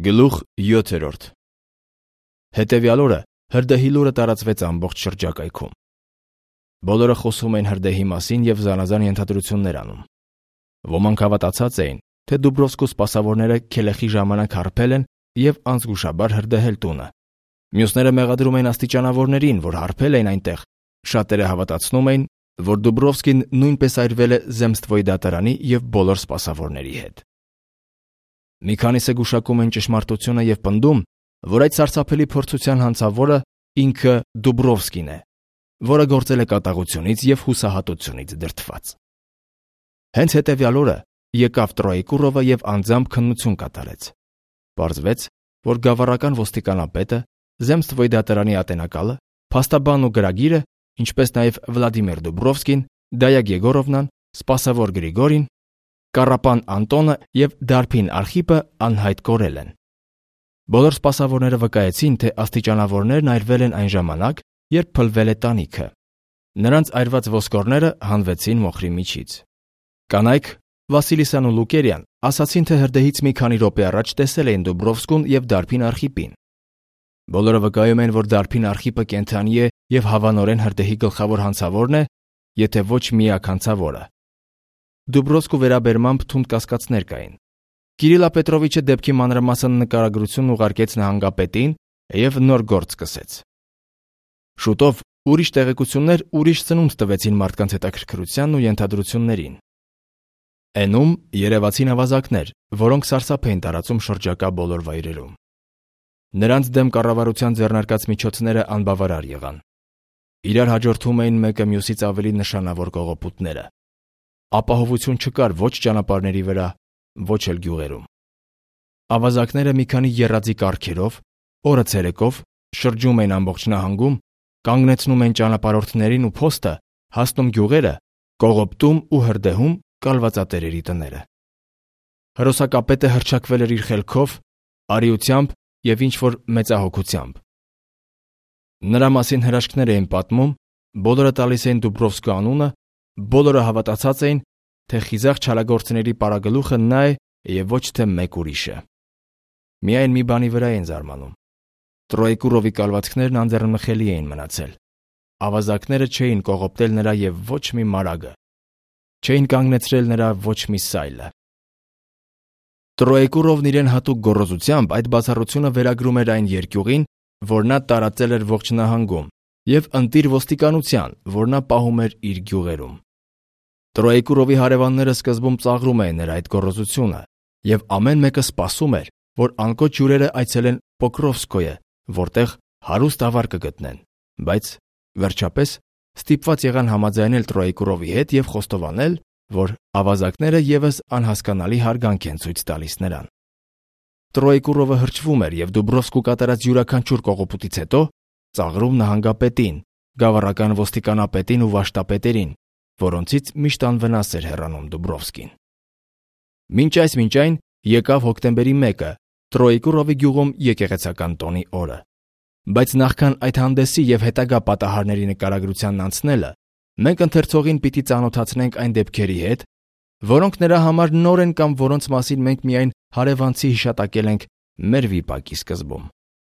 Գլուխ 7. Հետևյալ օրը հրդեհի լուրը տարածվեց ամբողջ շրջակայքում։ Բոլորը խոսում էին հրդեհի մասին և զանազան ենթադրություններ անում։ Ոմանք հավատացած էին, թե Դուբրովսկու սպասավորները Քելեխի ժամանակ հարբել են և անզգուշաբար հրդեհել տունը։ Մյուսները մեղադրում էին աստիճանավորներին, որ հարբել էին այնտեղ։ Շատերը հավատացնում էին, որ Դուբրովսկին նույնպես այրվել է Զեմստվոյի դատարանի և բոլոր սպասավորների հետ։ Մի քանիսը գուշակում են ճշմարտությունը և պնդում, որ այդ սարսափելի փորձության հանցավորը ինքը Դուբրովսկին է, որը գործել է կատաղությունից և հուսահատությունից դրդված։ Հենց հետևյալ օրը եկավ Տրոեկուրովը և անձամբ քննություն կատարեց։ Պարզվեց, որ գավառական ոստիկանապետը, Զեմստվոյի դատարանի ատենակալը, փաստաբանն ու գրագիրը, ինչպես նաև Վլադիմիր Դուբրովսկին, Դայա Եգորովնան, սպասավոր Գրիգորին, Կառապան Անտոնը և Դարփին Արխիպը անհայտ կորել են։ Բոլոր սպասավորները վկայեցին, թե աստիճանավորներն այրվել են այն ժամանակ, երբ փլվել է տանիքը։ Նրանց այրված ոսկորները հանվեցին մոխրի միջից։ Կանայք Վասիլիսան ու Լուկերյան ասացին, թե հրդեհից մի քանի րոպե առաջ տեսել էին Դուբրովսկուն և Դարփին Արխիպին։ Բոլորը վկայում են, որ Դարփին Արխիպը կենդանի է և հավանորեն հրդեհի գլխավոր հանցավորն է, եթե ոչ միակ հանցավորը։ Դուբրովսկու վերաբերմամբ թունդ կասկածներ կային։ Կիրիլա Պետրովիչը դեպքի մանրամասն նկարագրություն ուղարկեց նահանգապետին և նոր գործ սկսեց։ Շուտով ուրիշ տեղեկություններ ուրիշ ծնունդ տվեցին մարդկանց հետաքրքրությանն ու ենթադրություններին։ Էնում երևացին ավազակներ, որոնք սարսափ էին տարածում շրջակա բոլոր վայրերում։ Նրանց դեմ կառավարության ձեռնարկած միջոցները անբավարար եղան։ Իրար հաջորդում էին մեկը մյուսից ավելի նշանավոր կողոպուտները։ Ապահովություն չկար ոչ ճանապարհների վրա, ոչ էլ գյուղերում։ Ավազակները մի քանի եռաձի կառքերով, օրը ցերեկով շրջում էին ամբողջ նահանգում, կանգնեցնում էին ճանապարհորդներին ու փոստը, հասնում գյուղերը, կողոպտում ու հրդեհում կալվածատերերի տները։ Հրոսակապետը հռչակվել էր իր խելքով, արիությամբ և ինչ-որ մեծահոգությամբ։ Նրա մասին հրաշքներ էին պատմում, բոլորը տալիս էին Դուբրովսկու անունը, բոլորը հավատացած էին, թե խիզախ չարագործների պարագլուխը նա է և ոչ թե մեկ ուրիշը։ Միայն մի բանի վրա էին զարմանում։ Տրոեկուրովի կալվածքներն անձեռնմխելի էին մնացել։ Ավազակները չէին կողոպտել նրա և ոչ մի մարագը։ Չէին կանգնեցրել նրա ոչ մի սայլը։ Տրոեկուրովն իրեն հատուկ գոռոզությամբ այդ բացառությունը վերագրում էր այն երկյուղին, որ նա տարածել էր ողջ նահանգում, և ընտիր ոստիկանության, որ նա պահում էր իր գյուղերում։ Տրոեկուրովի հարևանները սկզբում ծաղրում էին նրա այդ գոռոզությունը, և ամեն մեկը սպասում էր, որ անկոչ հյուրերը այցելեն Պոկրովսկոյը, որտեղ հարուստ ավար կգտնեն, բայց վերջապես ստիպված եղան համաձայնել Տրոեկուրովի հետ և խոստովանել, որ ավազակները ևս անհասկանալի հարգանք են ցույց տալիս նրան։ Տրոեկուրովը հրճվում էր և Դուբրովսկու կատարած յուրաքանչյուր կողոպուտից հետո ծաղրում նահանգապետին, գավառական ոստիկանապետին ու վաշտապետերին, որոնցից միշտ անվնաս էր հեռանում Դուբրովսկին։ Մինչ այն եկավ հոկտեմբերի 1-ը, Տրոեկուրովի գյուղում եկեղեցական տոնի օրը։ Բայց նախքան այդ հանդեսի և հետագա պատահարների նկարագրությանն անցնելը, մենք ընթերցողին պիտի ծանոթացնենք այն դեպքերի հետ, որոնք նրա համար նոր են կամ որոնց մասին մենք միայն հարևանցի հիշատակել ենք մեր վիպակի սկզբում։